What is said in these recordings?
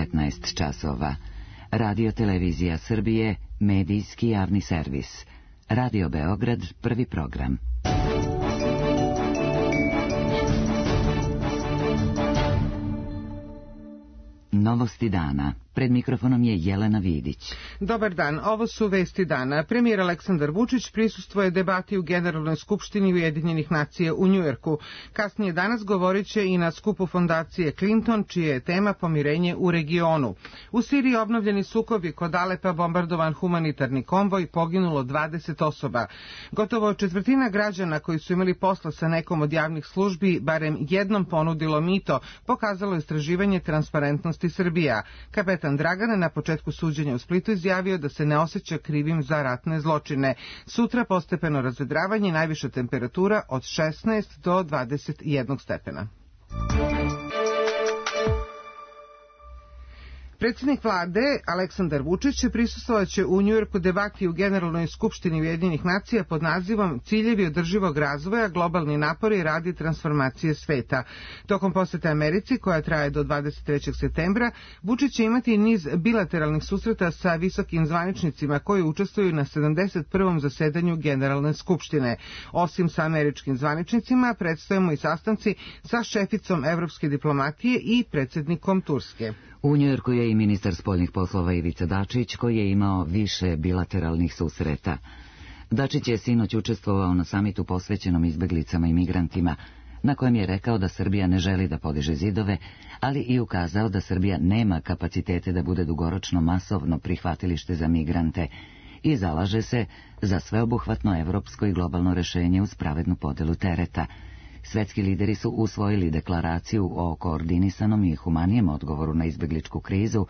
15 časova. Radio Televizija Srbije, medijski javni servis. Radio Beograd, prvi program. Novosti dana. Pred mikrofonom je Jelena Vidić. Dobar dan, ovo su vesti dana. Premijer Aleksandar Vučić prisustvuje debati u Generalnoj skupštini Ujedinjenih nacija u Njujorku. Kasnije danas govorit će i na skupu fondacije Clinton, čija je tema pomirenje u regionu. U Siriji obnovljeni sukobi, kod Alepa bombardovan humanitarni konvoj, poginulo 20 osoba. Gotovo četvrtina građana koji su imali posla sa nekom od javnih službi barem jednom ponudilo mito, pokazalo istraživanje Transparentnosti Srbija. Kapetan Dragan na početku suđenja u Splitu izjavio da se ne osjeća krivim za ratne zločine. Sutra postepeno razvedravanje i najviša temperatura od 16 do 21 stepena. Predsjednik vlade Aleksandar Vučić prisustvovaće u Njujorku debati u Generalnoj skupštini Ujedinjenih nacija pod nazivom Ciljevi održivog razvoja, globalni napori radi transformacije sveta. Tokom posete Americi, koja traje do 23. septembra, Vučić će imati niz bilateralnih susreta sa visokim zvaničnicima koji učestvuju na 71. zasedanju Generalne skupštine. Osim sa američkim zvaničnicima, predstavimo i sastanci sa šeficom evropske diplomatije i predsjednikom Turske. U Njujorku je i ministar spoljnih poslova Ivica Dačić, koji je imao više bilateralnih susreta. Dačić je sinoć učestvovao na samitu posvećenom izbeglicama i migrantima, na kojem je rekao da Srbija ne želi da podiže zidove, ali i ukazao da Srbija nema kapacitete da bude dugoročno masovno prihvatilište za migrante i zalaže se za sveobuhvatno evropsko i globalno rešenje uz pravednu podelu tereta. Svetski lideri su usvojili deklaraciju o koordinisanom i humanijem odgovoru na izbegličku krizu,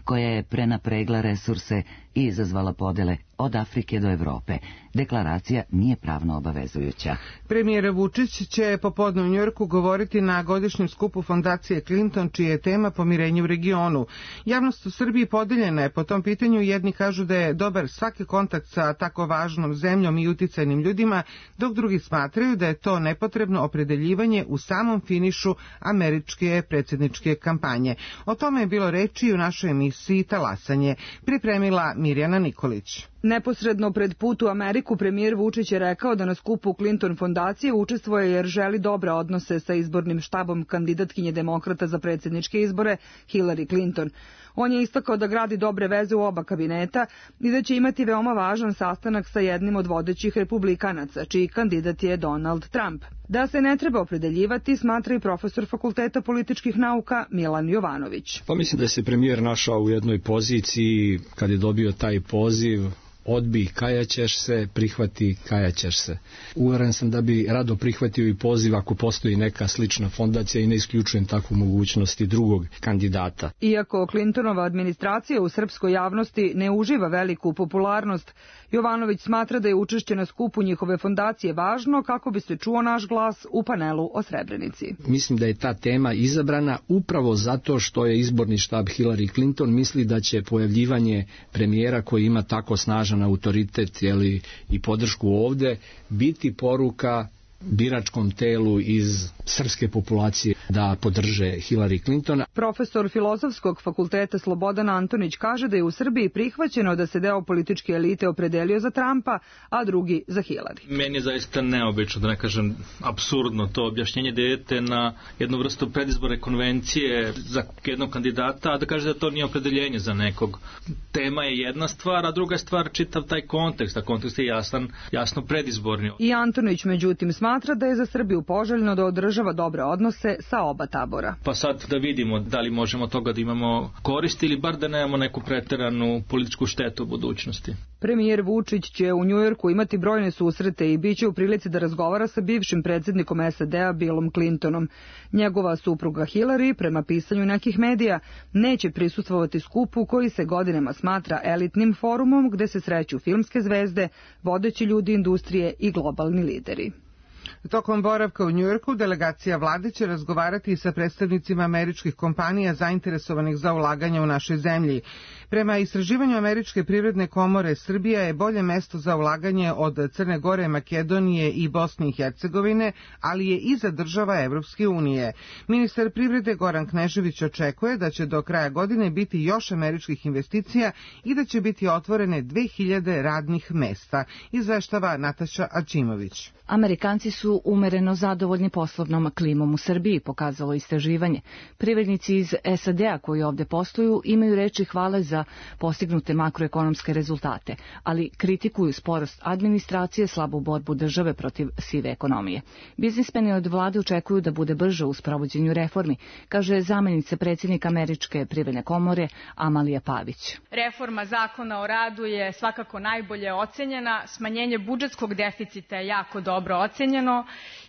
koja je prenapregla resurse i izazvala podele od Afrike do Evrope. Deklaracija nije pravno obavezujuća. Premijer Vučić će popodne u Njujorku govoriti na godišnjem skupu fondacije Clinton, čija je tema pomirenje u regionu. Javnost u Srbiji podeljena je po tom pitanju. Jedni kažu da je dobar svaki kontakt sa tako važnom zemljom i uticajnim ljudima, dok drugi smatraju da je to nepotrebno opredeljivanje u samom finišu američke predsjedničke kampanje. O tome je bilo reči u našoj emisiji Talasanje. Pripremila Mirjana Nikolić. Neposredno pred put u Ameriku premijer Vučić je rekao da na skupu Clinton fondacije učestvuje jer želi dobre odnose sa izbornim štabom kandidatkinje demokrata za predsjedničke izbore Hillary Clinton. On je istakao da gradi dobre veze u oba kabineta i da će imati veoma važan sastanak sa jednim od vodećih republikanaca, čiji kandidat je Donald Trump. Da se ne treba opredeljivati, smatra i profesor Fakulteta političkih nauka Milan Jovanović. Pa mislim da se premijer našao u jednoj poziciji kad je dobio taj poziv: odbij, kajaćeš se, prihvati, kajaćeš se. Uveren sam da bi rado prihvatio i poziv ako postoji neka slična fondacija i ne isključujem takvu mogućnost i drugog kandidata. Iako Clintonova administracija u srpskoj javnosti ne uživa veliku popularnost, Jovanović smatra da je učešće na skupu njihove fondacije važno kako bi se čuo naš glas u panelu o Srebrenici. Mislim da je ta tema izabrana upravo zato što je izborni štab Hillary Clinton misli da će pojavljivanje premijera koji ima tako snažan autoritet i podršku ovde biti poruka biračkom telu iz srpske populacije da podrže Hillary Clinton. Profesor Filozofskog fakulteta Slobodan Antonić kaže da je u Srbiji prihvaćeno da se deo političke elite opredelio za Trumpa, a drugi za Hillary. Meni je zaista neobično, da ne kažem apsurdno, to objašnjenje da idete na jednu vrstu predizborne konvencije za jednog kandidata, a da kaže da to nije opredeljenje za nekog. Tema je jedna stvar, a druga stvar čitav taj kontekst, a kontekst je jasno predizborni. I Antonić međutim smatra da je za Srbiju poželjno da održava dobre odnose sa oba tabora. Pa sad da vidimo da li možemo toga da imamo koristi ili bar da nemamo neku preteranu političku štetu u budućnosti. Premijer Vučić će u Njujorku imati brojne susrete i biće u prilici da razgovara sa bivšim predsjednikom SAD-a Billom Clintonom. Njegova supruga Hillary, prema pisanju nekih medija, neće prisustvovati skupu koji se godinama smatra elitnim forumom gde se sreću filmske zvezde, vodeći ljudi industrije i globalni lideri. Tokom boravka u Njujorku, delegacija vlade će razgovarati sa predstavnicima američkih kompanija zainteresovanih za ulaganje u našoj zemlji. Prema istraživanju Američke privredne komore, Srbija je bolje mesto za ulaganje od Crne Gore, Makedonije i Bosne i Hercegovine, ali je iza država Evropske unije. Ministar privrede Goran Knežević očekuje da će do kraja godine biti još američkih investicija i da će biti otvorene 2000 radnih mesta, izveštava Nataša Ačimović. Amerikanci su umereno zadovoljni poslovnom klimom u Srbiji, pokazalo istraživanje. Privrednici iz SAD-a koji ovde posluju imaju reči hvale za postignute makroekonomske rezultate, ali kritikuju sporost administracije, slabu borbu države protiv sive ekonomije. Biznismeni od vlade očekuju da bude brže u sprovođenju reformi, kaže zamenica predsjednika Američke privredne komore Amalija Pavić. Reforma zakona o radu je svakako najbolje ocenjena, smanjenje budžetskog deficita je jako dobro ocenjeno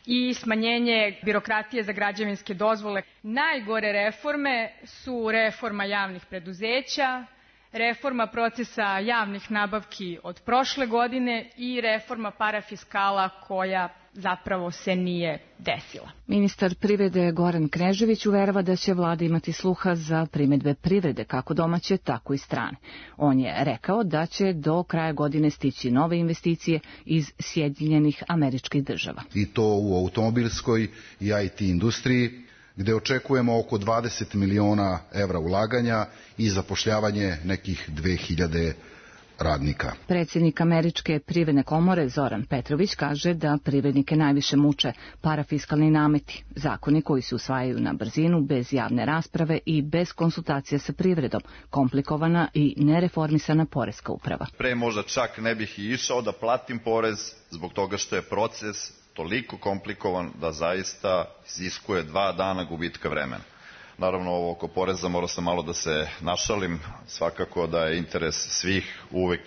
i smanjenje birokratije za građevinske dozvole. Najgore reforme su reforma javnih preduzeća, reforma procesa javnih nabavki od prošle godine i reforma parafiskala koja zapravo se nije desila. Ministar privrede Goran Knežević uverava da će vlada imati sluha za primedbe privrede, kako domaće, tako i strane. On je rekao da će do kraja godine stići nove investicije iz Sjedinjenih Američkih Država. I to u automobilskoj i IT industriji, gde očekujemo oko 20 miliona evra ulaganja i zapošljavanje nekih 2000 radnika. Predsjednik Američke privredne komore Zoran Petrović kaže da privrednike najviše muče parafiskalni nameti, zakoni koji se usvajaju na brzinu, bez javne rasprave i bez konsultacije sa privredom, komplikovana i nereformisana poreska uprava. Pre možda čak ne bih i išao da platim porez zbog toga što je proces toliko komplikovan da zaista iziskuje 2 dana gubitka vremena. Naravno, ovo oko poreza mora sam malo da se našalim. Svakako da je interes svih uvek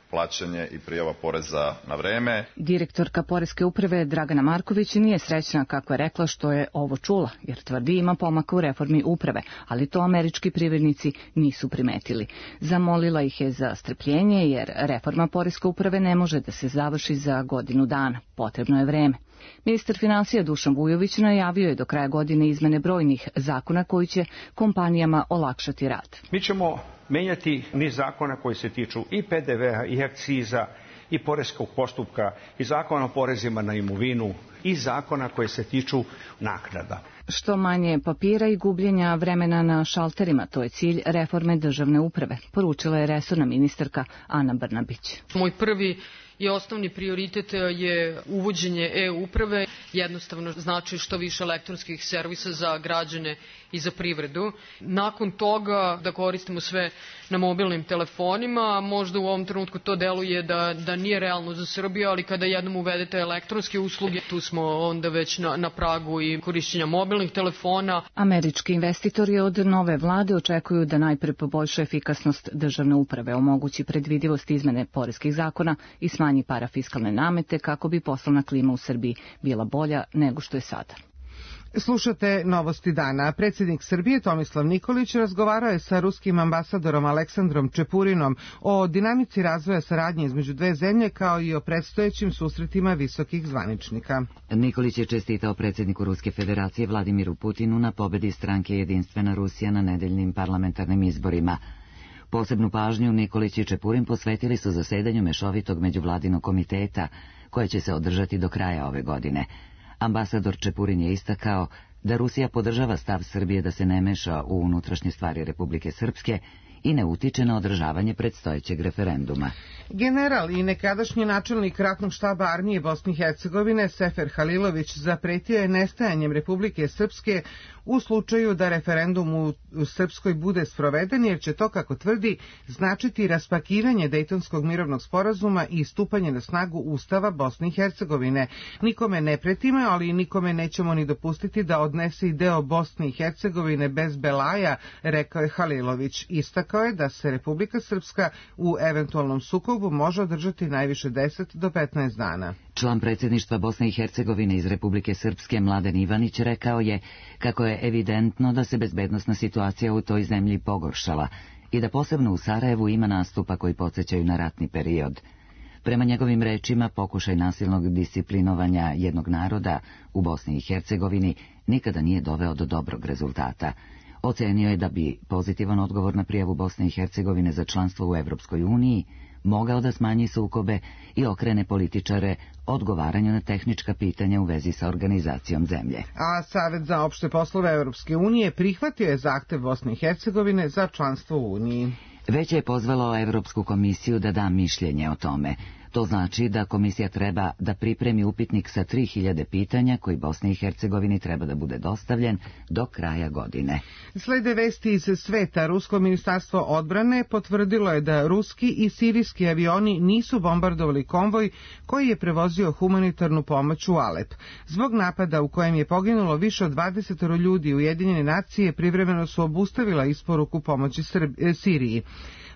plaćanje i prijava poreza na vreme. Direktorka poreske uprave Dragana Marković nije srećna, kako je rekla, što je ovo čula, jer tvrdi ima pomaka u reformi uprave, ali to američki privrednici nisu primetili. Zamolila ih je za strpljenje, jer reforma poreske uprave ne može da se završi za godinu dana. Potrebno je vreme. Ministar finansija Dušan Vujović najavio je do kraja godine izmene brojnih zakona koji će kompanijama olakšati rad. Mi ćemo menjati niz zakona koji se tiču i PDV-a, i akciza, i poreskog postupka, i zakona o porezima na imovinu, i zakona koje se tiču naknada. Što manje papira i gubljenja vremena na šalterima, to je cilj reforme državne uprave, poručila je resorna ministarka Ana Brnabić. Moj prvi i osnovni prioritet je uvođenje e-uprave, jednostavno znači što više elektronskih servisa za građane i za privredu. Nakon toga da koristimo sve na mobilnim telefonima, možda u ovom trenutku to deluje da nije realno za Srbiju, ali kada jednom uvedete elektronske usluge, tu smo onda već na pragu i korišćenja mobilnih telefona. Američki investitori od nove vlade očekuju da najpre poboljša efikasnost državne uprave, omogući predvidivost izmene poreskih zakona i smanji parafiskalne namete kako bi poslovna klima u Srbiji bila bolja nego što je sada. Slušate Novosti dana. Predsjednik Srbije Tomislav Nikolić razgovarao je sa ruskim ambasadorom Aleksandrom Čepurinom o dinamici razvoja saradnje između dve zemlje kao i o predstojećim susretima visokih zvaničnika. Nikolić je čestitao predsjedniku Ruske federacije Vladimiru Putinu na pobedi stranke Jedinstvena Rusija na nedeljnim parlamentarnim izborima. Posebnu pažnju Nikolić i Čepurin posvetili su zasedanju mešovitog međuvladinog komiteta koje će se održati do kraja ove godine. Ambasador Čepurin je istakao da Rusija podržava stav Srbije da se ne meša u unutrašnje stvari Republike Srpske i ne utiče na održavanje predstojećeg referenduma. General i nekadašnji načelnik ratnog štaba armije Bosne i Hercegovine Sefer Halilović zapretio je nestajanjem Republike Srpske u slučaju da referendum u Srpskoj bude sproveden, jer će to, kako tvrdi, značiti raspakivanje Dejtonskog mirovnog sporazuma i stupanje na snagu Ustava Bosne i Hercegovine. Nikome ne pretimo, ali nikome nećemo ni dopustiti da odnese i deo Bosne i Hercegovine bez belaja, rekao je Halilović. Istakao je da se Republika Srpska u eventualnom sukobu može održati najviše 10 do 15 dana. Član predsjedništva Bosne i Hercegovine iz Republike Srpske Mladen Ivanić rekao je kako je evidentno da se bezbednosna situacija u toj zemlji pogoršala i da posebno u Sarajevu ima nastupa koji podsjećaju na ratni period. Prema njegovim rečima, pokušaj nasilnog disciplinovanja jednog naroda u Bosni i Hercegovini nikada nije doveo do dobrog rezultata. Ocenio je da bi pozitivan odgovor na prijavu Bosne i Hercegovine za članstvo u Evropskoj uniji mogao da smanji sukobe i okrene političare odgovaranju na tehnička pitanja u vezi sa organizacijom zemlje. A Savet za opšte poslove Evropske unije prihvatio je zahtev Bosne i Hercegovine za članstvo u Uniji. Već je pozvalo Evropsku komisiju da da mišljenje o tome. To znači da komisija treba da pripremi upitnik sa 3000 pitanja koji Bosni i Hercegovini treba da bude dostavljen do kraja godine. Slede vesti iz sveta. Rusko ministarstvo odbrane potvrdilo je da ruski i sirijski avioni nisu bombardovali konvoj koji je prevozio humanitarnu pomoć u Alep. Zbog napada u kojem je poginulo više od 20 ljudi, Ujedinjene nacije privremeno su obustavila isporuku pomoći Siriji.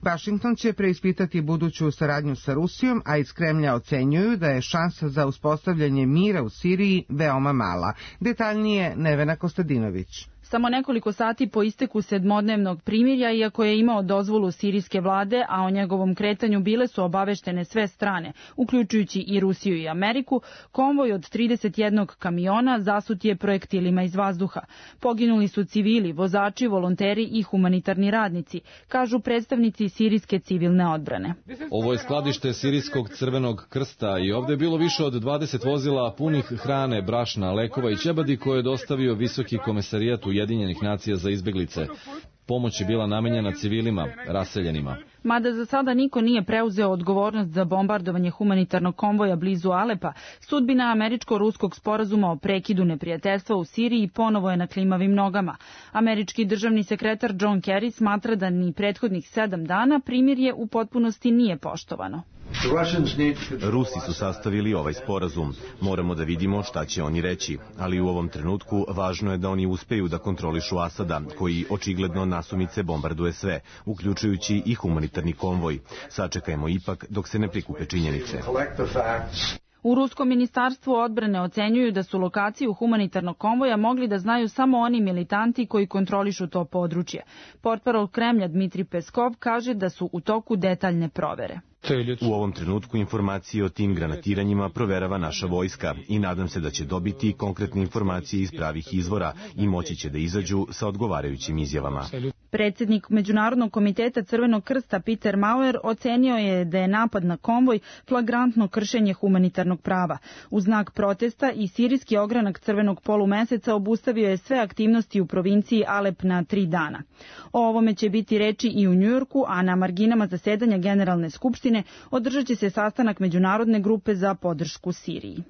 Vašington će preispitati buduću saradnju sa Rusijom, a iz Kremlja ocenjuju da je šansa za uspostavljanje mira u Siriji veoma mala. Detaljnije Nevena Kostadinović. Samo nekoliko sati po isteku 7-dnevnog primirja, iako je imao dozvolu sirijske vlade, a o njegovom kretanju bile su obaveštene sve strane, uključujući i Rusiju i Ameriku, konvoj od 31 kamiona zasut je projektilima iz vazduha. Poginuli su civili, vozači, volonteri i humanitarni radnici, kažu predstavnici sirijske civilne odbrane. Ovo je skladište Sirijskog crvenog krsta i ovdje je bilo više od 20 vozila punih hrane, brašna, lekova i ćebadi koje je dostavio Visoki komesarijat Ujedinjenih nacija za izbeglice. Pomoć je bila namenjena civilima, raseljenima. Mada za sada niko nije preuzeo odgovornost za bombardovanje humanitarnog konvoja blizu Alepa, sudbina američko-ruskog sporazuma o prekidu neprijateljstva u Siriji ponovo je na klimavim nogama. Američki državni sekretar John Kerry smatra da ni prethodnih 7 dana primirje u potpunosti nije poštovano. Rusi su sastavili ovaj sporazum. Moramo da vidimo šta će oni reći, ali u ovom trenutku važno je da oni uspeju da kontrolišu Asada, koji očigledno nasumice bombarduje sve, uključujući i humanitarni konvoj. Sačekajmo ipak dok se ne prikupe činjenice. U Ruskom ministarstvu odbrane ocenjuju da su lokaciju humanitarnog konvoja mogli da znaju samo oni militanti koji kontrolišu to područje. Portparol Kremlja Dmitri Peskov kaže da su u toku detaljne provere. U ovom trenutku informacije o tim granatiranjima proverava naša vojska i nadam se da će dobiti konkretne informacije iz pravih izvora i moći će da izađu sa odgovarajućim izjavama. Predsjednik Međunarodnog komiteta Crvenog krsta Peter Maurer ocenio je da je napad na konvoj flagrantno kršenje humanitarnog prava. U znak protesta i sirijski ogranak Crvenog polumeseca obustavio je sve aktivnosti u provinciji Alep na 3 dana. O ovome će biti reči i u Njujorku, a na marginama zasedanja Generalne skupštine održat će se sastanak Međunarodne grupe za podršku Siriji.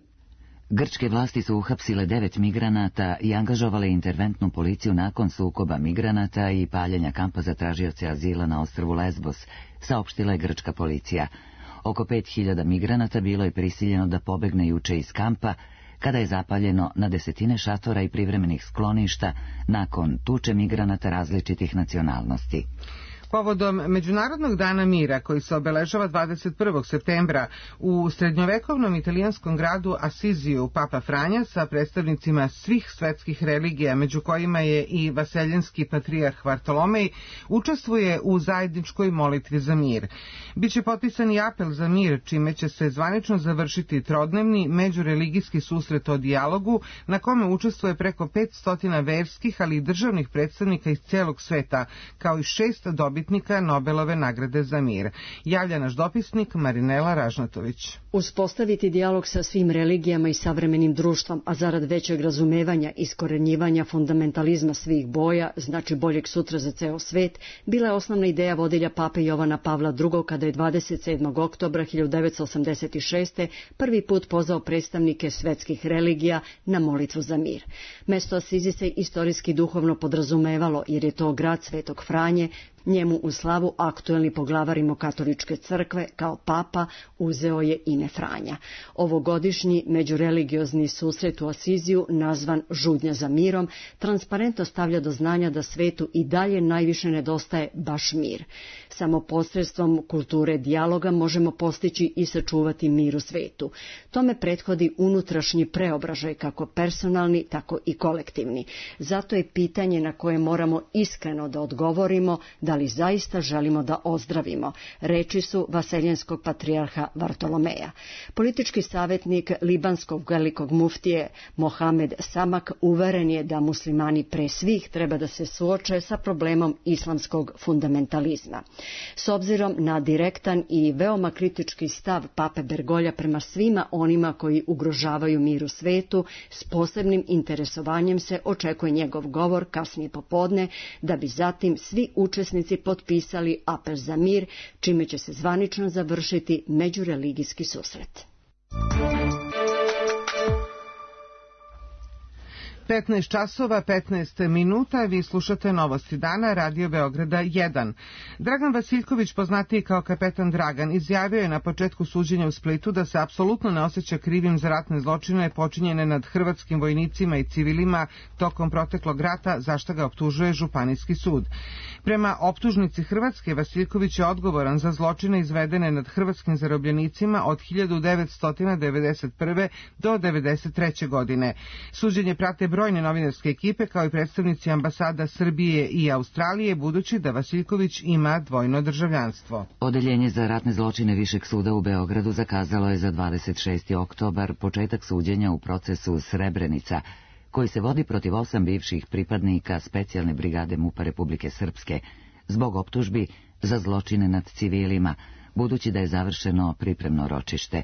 Grčke vlasti su uhapsile 9 migranata i angažovale interventnu policiju nakon sukoba migranata i paljenja kampa za tražioce azila na ostrvu Lesbos, saopštila je grčka policija. Oko 5000 migranata bilo je prisiljeno da pobegne juče iz kampa, kada je zapaljeno na desetine šatora i privremenih skloništa nakon tuče migranata različitih nacionalnosti. Povodom Međunarodnog dana mira, koji se obeležava 21. septembra u srednjovekovnom italijanskom gradu Asiziju, Papa Franja sa predstavnicima svih svetskih religija, među kojima je i vaseljenski patrijarh Vartolomej, učestvuje u zajedničkoj molitvi za mir. Biće potpisan i apel za mir, čime će se zvanično završiti trodnevni međureligijski susret o dijalogu, na kome učestvuje preko 500 verskih, ali i državnih predstavnika iz celog sveta, kao i 6 dobitnika Nobelove nagrade za mir. Javlja naš dopisnik Marinela Ražnatović. Uspostaviti dijalog sa svim religijama i savremenim društvom, a zarad većeg razumevanja i iskorenjivanja fundamentalizma svih boja, znači boljeg sutra za ceo svet, bila je osnovna ideja vodilja pape Jovana Pavla II. Kada je 27. oktobra 1986. prvi put pozvao predstavnike svetskih religija na molitvu za mir. Mesto Asizi se istorijski duhovno podrazumevalo, jer je to grad Svetog Franje. Njemu u slavu aktuelni poglavar Rimokatoličke crkve kao papa uzeo je ime Franja. Ovogodišnji međureligiozni susret u Asiziju, nazvan Žudnja za mirom, transparentno stavlja do znanja da svetu i dalje najviše nedostaje baš mir. Samo posredstvom kulture dijaloga možemo postići i sačuvati mir u svetu. Tome prethodi unutrašnji preobražaj, kako personalni, tako i kolektivni. Zato je pitanje na koje moramo iskreno da odgovorimo da li zaista želimo da ozdravimo, reči su vaseljenskog patrijarha Vartolomeja. Politički savjetnik libanskog velikog muftije Mohamed Samak uveren je da muslimani pre svih treba da se suoče sa problemom islamskog fundamentalizma. S obzirom na direktan i veoma kritički stav pape Bergolja prema svima onima koji ugrožavaju mir u svetu, s posebnim interesovanjem se očekuje njegov govor kasnije popodne, da bi zatim svi učesnici potpisali apel za mir, čime će se zvanično završiti međureligijski susret. 15 časova, 15 minuta, vi slušate Novosti dana, Radio Beograda 1. Dragan Vasiljković, poznatiji kao kapetan Dragan, izjavio je na početku suđenja u Splitu da se apsolutno ne osjeća krivim za ratne zločine počinjene nad hrvatskim vojnicima i civilima tokom proteklog rata, za što ga optužuje Županijski sud. Prema optužnici Hrvatske, Vasiljković je odgovoran za zločine izvedene nad hrvatskim zarobljenicima od 1991. do 1993. godine. Suđenje prate brojne novinarske ekipe kao i predstavnici ambasada Srbije i Australije, budući da Vasiljković ima dvojno državljanstvo. Odeljenje za ratne zločine Višeg suda u Beogradu zakazalo je za 26. oktobar početak suđenja u procesu Srebrenica, koji se vodi protiv 8 bivših pripadnika specijalne brigade MUP-a Republike Srpske zbog optužbi za zločine nad civilima, budući da je završeno pripremno ročište.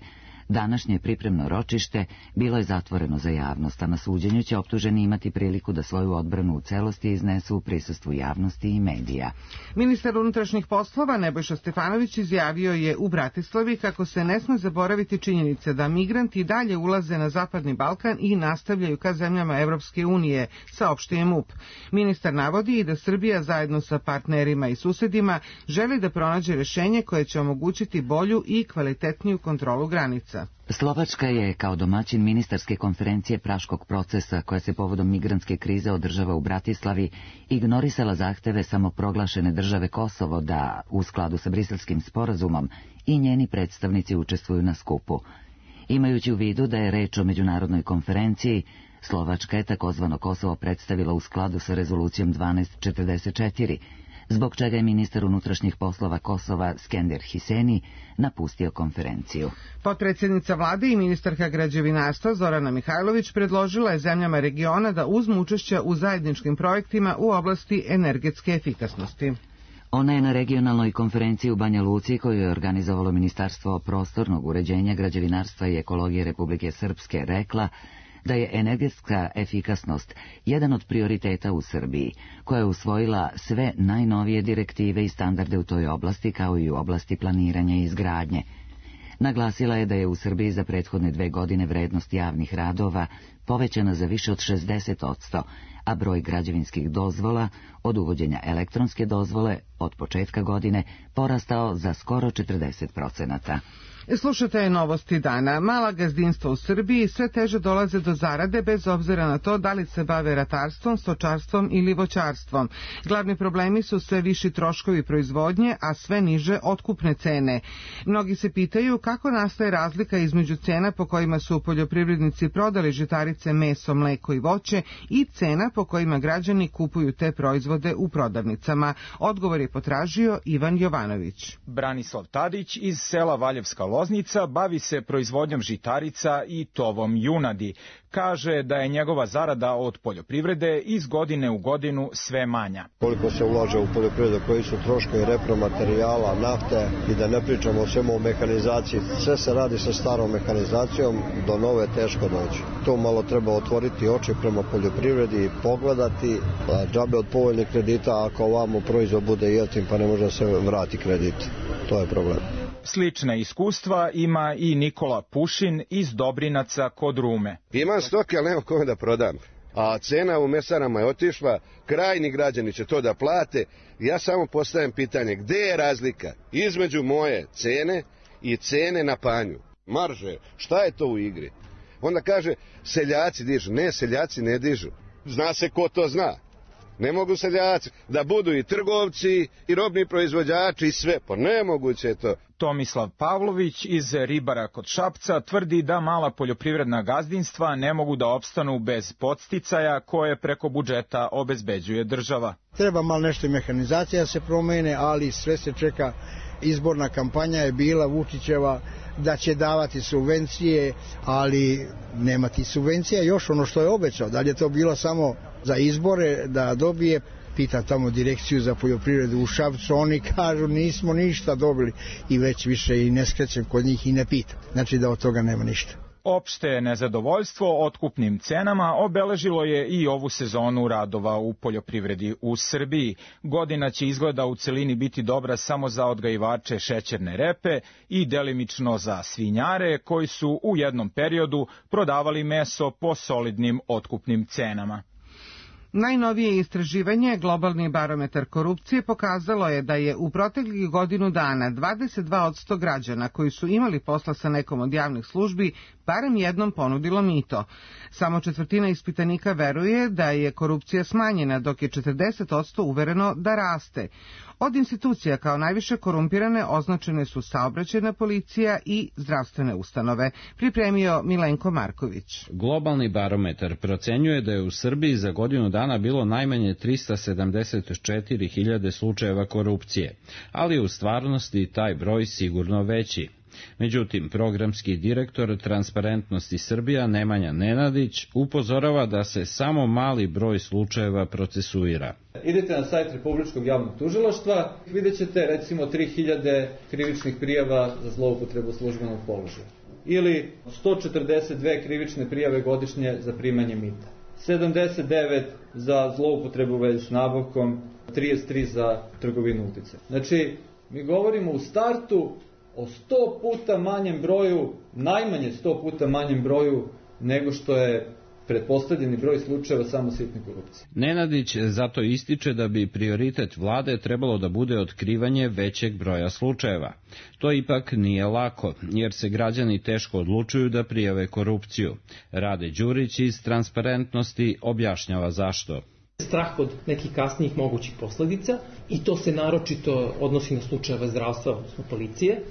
Današnje pripremno ročište bilo je zatvoreno za javnost, a na suđenju će optuženi imati priliku da svoju odbranu u celosti iznesu u prisustvu javnosti i medija. Ministar unutrašnjih poslova Nebojša Stefanović izjavio je u Bratislavi kako se ne sme zaboraviti činjenice da migranti dalje ulaze na Zapadni Balkan i nastavljaju ka zemljama Evropske unije, saopštio MUP. Ministar navodi i da Srbija zajedno sa partnerima i susedima želi da pronađe rešenje koje će omogućiti bolju i kvalitetniju kontrolu granica. Slovačka je kao domaćin ministarske konferencije Praškog procesa, koja se povodom migrantske krize održava u Bratislavi, ignorisala zahteve samoproglašene države Kosovo da, u skladu sa Briselskim sporazumom, i njeni predstavnici učestvuju na skupu. Imajući u vidu da je reč o međunarodnoj konferenciji, Slovačka je takozvano Kosovo predstavila u skladu sa rezolucijom 1244, zbog čega je ministar unutrašnjih poslova Kosova Skender Hiseni napustio konferenciju. Potpredsjednica vlade i ministarka građevinarstva Zorana Mihajlović predložila je zemljama regiona da uzmu učešće u zajedničkim projektima u oblasti energetske efikasnosti. Ona je na regionalnoj konferenciji u Banja Luci, koju je organizovalo Ministarstvo prostornog uređenja, građevinarstva i ekologije Republike Srpske, rekla da je energetska efikasnost jedan od prioriteta u Srbiji, koja je usvojila sve najnovije direktive i standarde u toj oblasti, kao i u oblasti planiranja i izgradnje. Naglasila je da je u Srbiji za prethodne 2 godine vrednost javnih radova povećana za više od 60%, a broj građevinskih dozvola od uvođenja elektronske dozvole od početka godine porastao za skoro 40%. Slušate Novosti dana. Mala gazdinstva u Srbiji sve teže dolaze do zarade bez obzira na to da li se bave ratarstvom, stočarstvom ili voćarstvom. Glavni problemi su sve viši troškovi proizvodnje, a sve niže otkupne cene. Mnogi se pitaju kako nastaje razlika između cena po kojima su poljoprivrednici prodali žitarice, meso, mleko i voće i cena po kojima građani kupuju te proizvode u prodavnicama. Odgovor je potražio Ivan Jovanović. Branislav Tadić iz sela Valjevska Loznica bavi se proizvodnjom žitarica i tovom junadi. Kaže da je njegova zarada od poljoprivrede iz godine u godinu sve manja. Koliko se ulaže u poljoprivredu, koji su troškovi repromaterijala, nafte i da ne pričamo o svemu o mehanizaciji. Sve se radi sa starom mehanizacijom, do nove teško doći. To malo treba otvoriti oči prema poljoprivredi i pogledati. Džabe od povoljnih kredita ako ovamo proizvod bude jeftin pa ne može se vrati kredit. To je problem. Slična iskustva ima i Nikola Pušin iz Dobrinaca kod Rume. Imam stoke, ali nema kome da prodam. A cena u mesarama je otišla, krajni građani će to da plate. Ja samo postavljam pitanje, gde je razlika između moje cene i cene na panju? Marže, šta je to u igri? Onda kaže, seljaci dižu. Ne, seljaci ne dižu. Zna se ko to zna. Ne mogu seljaci da budu i trgovci i robni proizvođači i sve, pa nemoguće je to. Tomislav Pavlović iz Ribara kod Šapca tvrdi da mala poljoprivredna gazdinstva ne mogu da opstanu bez podsticaja koje preko budžeta obezbeđuje država. Treba malo nešto i mehanizacija se promene, ali sve se čeka. Izborna kampanja je bila Vučićeva da će davati subvencije, ali nema ti subvencija. Još ono što je obećao, da li je to bilo samo za izbore da dobije, pita tamo direkciju za poljoprivredu u Šapcu, oni kažu nismo ništa dobili i već više i ne skrećem kod njih i ne pitam. Znači da od toga nema ništa. Opšte nezadovoljstvo otkupnim cenama obeležilo je i ovu sezonu radova u poljoprivredi u Srbiji. Godina će izgleda u celini biti dobra samo za odgajivače šećerne repe i delimično za svinjare koji su u jednom periodu prodavali meso po solidnim otkupnim cenama. Najnovije istraživanje, globalni barometar korupcije, pokazalo je da je u proteklih godinu dana 22% građana koji su imali posla sa nekom od javnih službi barem jednom ponudilo mito. Samo četvrtina ispitanika veruje da je korupcija smanjena, dok je 40% uvereno da raste. Od institucija kao najviše korumpirane označene su saobraćajna policija i zdravstvene ustanove. Pripremio Milenko Marković. Globalni barometar procenjuje da je u Srbiji za godinu dana bilo najmanje 374.000 slučajeva korupcije, ali u stvarnosti taj broj sigurno veći. Međutim, programski direktor Transparentnosti Srbija Nemanja Nenadić upozorava da se samo mali broj slučajeva procesuira. Idete na sajt Republičkog javnog tužilaštva, vidjet ćete recimo 3000 krivičnih prijava za zloupotrebu službenog položaja ili 142 krivične prijave godišnje za primanje mita, 79 za zloupotrebu u vezi s nabavkom, 33 za trgovinu uticaja. Znači, mi govorimo u startu o 100 puta manjem broju, najmanje 100 puta manjem broju nego što je pretpostavljeni broj slučajeva samo sitne korupcije. Nenadić zato ističe da bi prioritet vlade trebalo da bude otkrivanje većeg broja slučajeva. To ipak nije lako, jer se građani teško odlučuju da prijave korupciju. Rade Đurić iz Transparentnosti objašnjava zašto. Strah od nekih kasnijih mogućih posledica i to se naročito odnosi na slučajeve zdravstva, odnosno policije,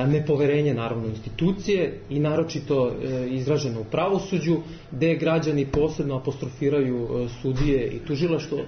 nepoverenje naravno institucije i naročito izraženo u pravosuđu, gde građani posebno apostrofiraju sudije i tužilaštvo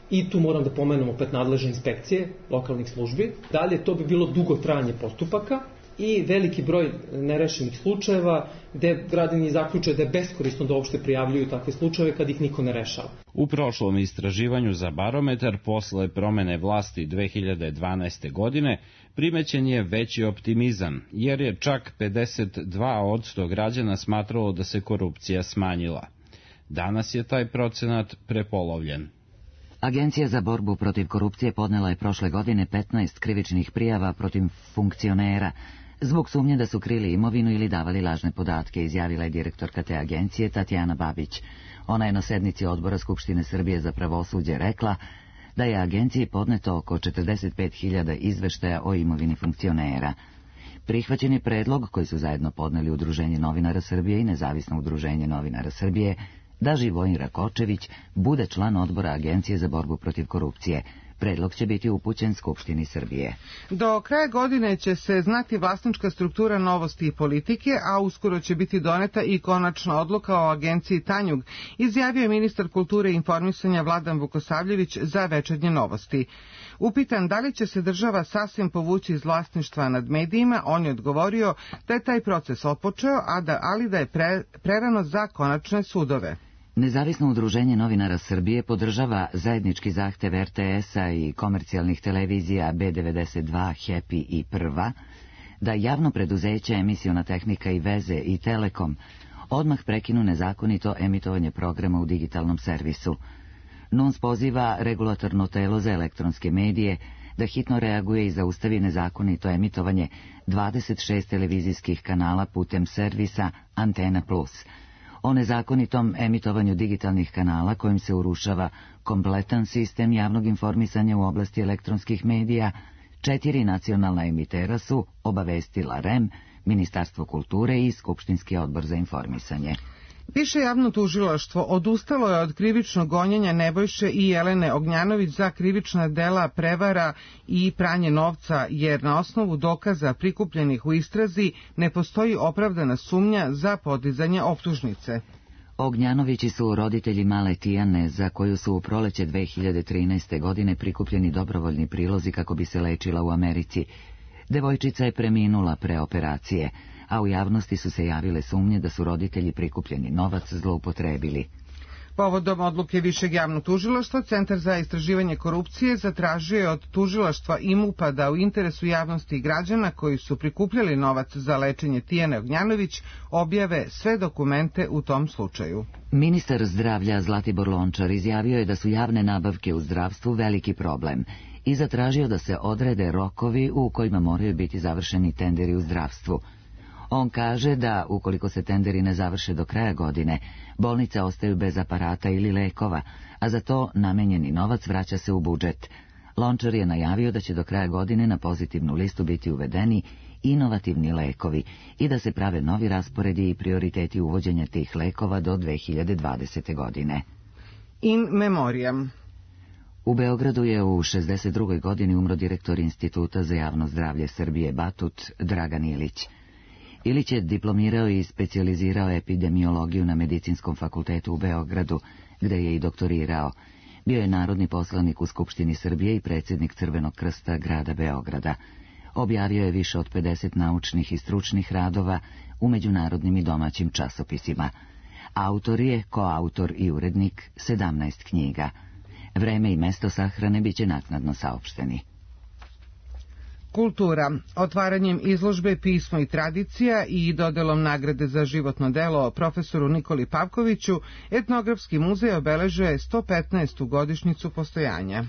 i tu moram da pomenem opet nadležne inspekcije lokalnih službi. Dalje, to bi bilo dugo trajanje postupaka i veliki broj nerešenih slučajeva gde građani zaključe da je beskorisno da uopšte prijavljuju takve slučajeve kad ih niko ne rešava. U prošlom istraživanju za barometar posle promene vlasti 2012. godine primećen je veći optimizam, jer je čak 52% građana smatralo da se korupcija smanjila. Danas je taj procenat prepolovljen. Agencija za borbu protiv korupcije podnela je prošle godine 15 krivičnih prijava protiv funkcionera zbog sumnje da su krili imovinu ili davali lažne podatke, izjavila je direktorka te agencije Tatjana Babić. Ona je na sednici Odbora Skupštine Srbije za pravosuđe rekla da je agenciji podneto oko 45.000 izveštaja o imovini funkcionera. Prihvaćen je predlog koji su zajedno podneli Udruženje novinara Srbije i Nezavisno udruženje novinara Srbije da Živojin Rakočević bude član odbora Agencije za borbu protiv korupcije. Predlog će biti upućen Skupštini Srbije. Do kraja godine će se znati vlasnička struktura Novosti i politike, a uskoro će biti doneta i konačna odluka o agenciji Tanjug, izjavio je ministar kulture i informisanja Vladan Vukosavljević za Večernje novosti. Upitan da li će se država sasvim povući iz vlasništva nad medijima, on je odgovorio da je taj proces otpočeo, ali da je prerano za konačne sudove. Nezavisno udruženje novinara Srbije podržava zajednički zahtev RTS-a i komercijalnih televizija B92, Happy i Prva da javno preduzeće Emisiona tehnika i veze i Telekom odmah prekinu nezakonito emitovanje programa u digitalnom servisu. NUNS poziva regulatorno telo za elektronske medije da hitno reaguje i zaustavi nezakonito emitovanje 26 televizijskih kanala putem servisa Antena Plus. O nezakonitom emitovanju digitalnih kanala kojim se urušava kompletan sistem javnog informisanja u oblasti elektronskih medija, 4 nacionalna emitera su obavestila REM, Ministarstvo kulture i Skupštinski odbor za informisanje. Više javno tužilaštvo odustalo je od krivičnog gonjenja Nebojše i Jelene Ognjanović za krivična dela prevara i pranje novca, jer na osnovu dokaza prikupljenih u istrazi ne postoji opravdana sumnja za podizanje optužnice. Ognjanovići su roditelji male Tijane, za koju su u proleće 2013. godine prikupljeni dobrovoljni prilozi kako bi se lečila u Americi. Devojčica je preminula pre operacije, a u javnosti su se javile sumnje da su roditelji prikupljeni novac zloupotrebili. Povodom odluke Višeg javnog tužilaštva, Centar za istraživanje korupcije zatražio je od tužilaštva i MUP-a da u interesu javnosti i građana koji su prikupljali novac za lečenje Tijane Ognjanović objave sve dokumente u tom slučaju. Ministar zdravlja Zlatibor Lončar izjavio je da su javne nabavke u zdravstvu veliki problem i zatražio da se odrede rokovi u kojima moraju biti završeni tenderi u zdravstvu. On kaže da, ukoliko se tenderi ne završe do kraja godine, bolnice ostaju bez aparata ili lekova, a za to namenjeni novac vraća se u budžet. Lončar je najavio da će do kraja godine na pozitivnu listu biti uvedeni inovativni lekovi i da se prave novi rasporedi i prioriteti uvođenja tih lekova do 2020. godine. In memoriam. U Beogradu je u 62. godini umro direktor Instituta za javno zdravlje Srbije Batut Dragan Ilić. Ilić je diplomirao i specijalizirao epidemiologiju na Medicinskom fakultetu u Beogradu, gde je i doktorirao. Bio je narodni poslanik u Skupštini Srbije i predsjednik Crvenog krsta grada Beograda. Objavio je više od 50 naučnih i stručnih radova u međunarodnim i domaćim časopisima. Autor je, koautor i urednik 17 knjiga. Vreme i mesto sahrane biće naknadno saopšteni. Kultura. Otvaranjem izložbe Pismo i tradicija i dodelom nagrade za životno delo profesoru Nikoli Pavkoviću, Etnografski muzej obeležuje 115. godišnjicu postojanja.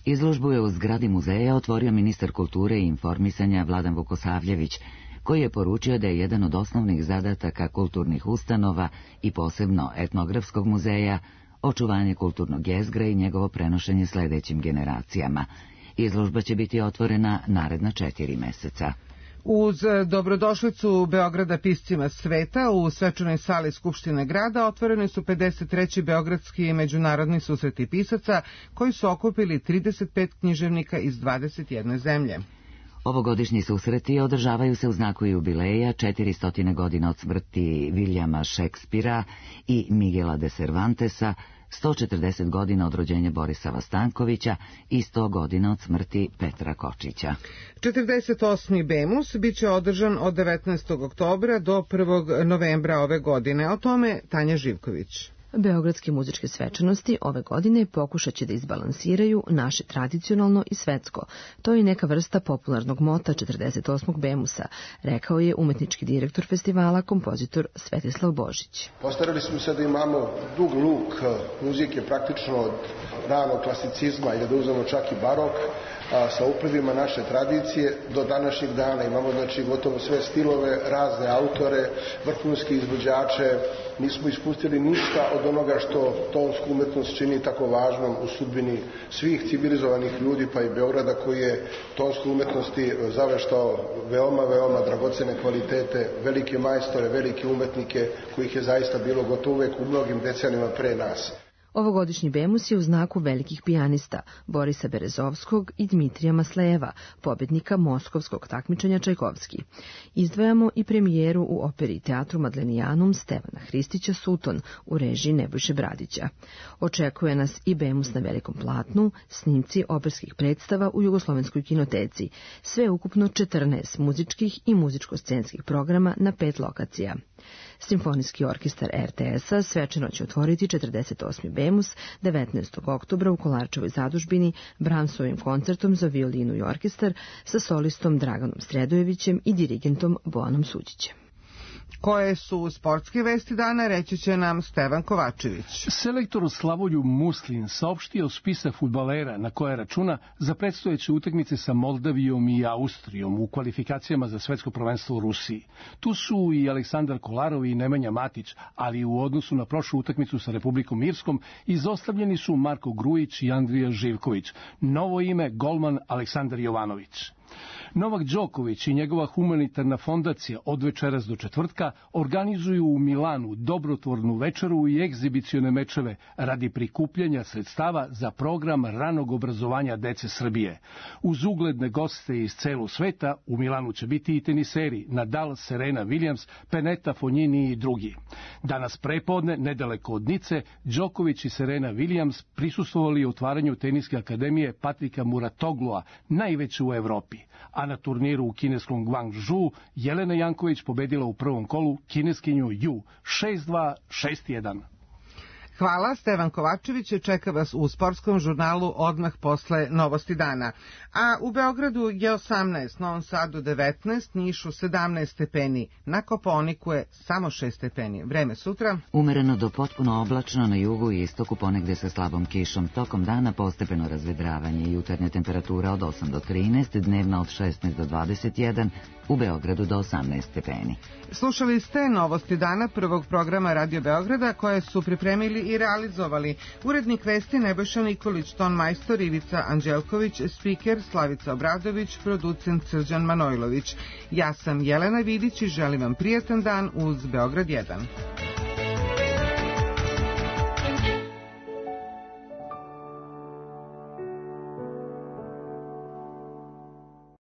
Izložbu je u zgradi muzeja otvorio ministar kulture i informisanja Vladan Vukosavljević, koji je poručio da je jedan od osnovnih zadataka kulturnih ustanova i posebno Etnografskog muzeja očuvanje kulturnog jezgra i njegovo prenošenje sledećim generacijama. Izložba će biti otvorena naredna 4 meseca. Uz dobrodošlicu Beograda piscima sveta u svečanoj sali Skupštine grada otvoreni su 53. Beogradski međunarodni susreti pisaca koji su okupili 35 književnika iz 21 zemlje. Ovogodišnji susreti održavaju se u znaku jubileja 400 godina od smrti Viljama Šekspira i Miguela de Cervantesa, 140 godina od rođenja Borisava Stankovića i 100 godina od smrti Petra Kočića. 48. Bemus biće održan od 19. oktobra do 1. novembra ove godine. O tome Tanja Živković. Beogradske muzičke svečanosti ove godine pokušat će da izbalansiraju naše tradicionalno i svetsko. To je neka vrsta popularnog mota 48. Bemusa, rekao je umetnički direktor festivala, kompozitor Svetislav Božić. Postarali smo se da imamo dug luk muzike praktično od ranog klasicizma ili da uzmemo čak i barok, sa uplivima naše tradicije do današnjeg dana. Imamo znači gotovo sve stilove, razne autore, vrhunske izvođače. Nismo ispustili ništa od onoga što tonsku umetnost čini tako važnom u sudbini svih civilizovanih ljudi, pa i Beograda, koji je tonsku umetnosti zaveštao veoma dragocene kvalitete, velike majstore, velike umetnike, kojih je zaista bilo gotovo uvek u mnogim decenijama pre nas. Ovogodišnji Bemus je u znaku velikih pijanista Borisa Berezovskog i Dmitrija Maslejeva, pobednika moskovskog takmičenja Čajkovski. Izdvajamo i premijeru u operi i teatru Madlenijanum Stevana Hristića Suton u režiji Nebojše Bradića. Očekuje nas i Bemus na velikom platnu, snimci operskih predstava u Jugoslovenskoj kinoteci, sve ukupno 14 muzičkih i muzičko-scenskih programa na 5 lokacija. Simfonijski orkestar RTS-a svečano će otvoriti 48. Bemus 19. oktobra u Kolarčevoj zadužbini Brahmsovim koncertom za violinu i orkestar sa solistom Draganom Sredojevićem i dirigentom Bojanom Suđićem. Koje su sportske vesti dana, reći će nam Stevan Kovačević. Selektor Slavoljub Muslin saopštio spisak fudbalera na koje računa za predstojeće utakmice sa Moldavijom i Austrijom u kvalifikacijama za svetsko prvenstvo u Rusiji. Tu su i Aleksandar Kolarov i Nemanja Matić, ali u odnosu na prošlu utakmicu sa Republikom Irskom izostavljeni su Marko Grujić i Andrija Živković. Novo ime golman Aleksandar Jovanović. Novak Đoković i njegova humanitarna fondacija od večeras do četvrtka organizuju u Milanu dobrotvornu večeru i egzibicione mečeve radi prikupljanja sredstava za program ranog obrazovanja dece Srbije. Uz ugledne goste iz celog sveta u Milanu će biti i teniseri Nadal, Serena Williams, Pennetta, Fognini i drugi. Danas prepodne, nedaleko od Nice, Đoković i Serena Williams prisustvovali otvaranju teniske akademije Patrika Muratoglua, najveće u Evropi. A na turniru u kineskom Guangzhou Jelena Janković pobedila u prvom kolu kineskinju Ju 6-2, 6-1. Hvala, Stevan Kovačević čeka vas u sportskom žurnalu odmah posle Novosti dana. A u Beogradu je 18, Novom Sadu 19, Nišu 17 stepeni, na Kopaoniku je samo 6 stepeni. Vreme sutra? Umereno do potpuno oblačno na jugu i istoku, ponegde sa slabom kišom. Tokom dana postepeno razvedravanje, jutarnja temperatura od 8 do 13, dnevna od 16 do 21, u Beogradu do 18 stepeni. Slušali ste Novosti dana prvog programa Radio Beograda koje su pripremili i realizovali urednik vesti Nebojša Nikolić, ton majstor Ivica Anđelković, spiker Slavica Obradović, producent Srđan Manojlović. Ja sam Jelena Vidić i želim vam prijatan dan uz Beograd 1.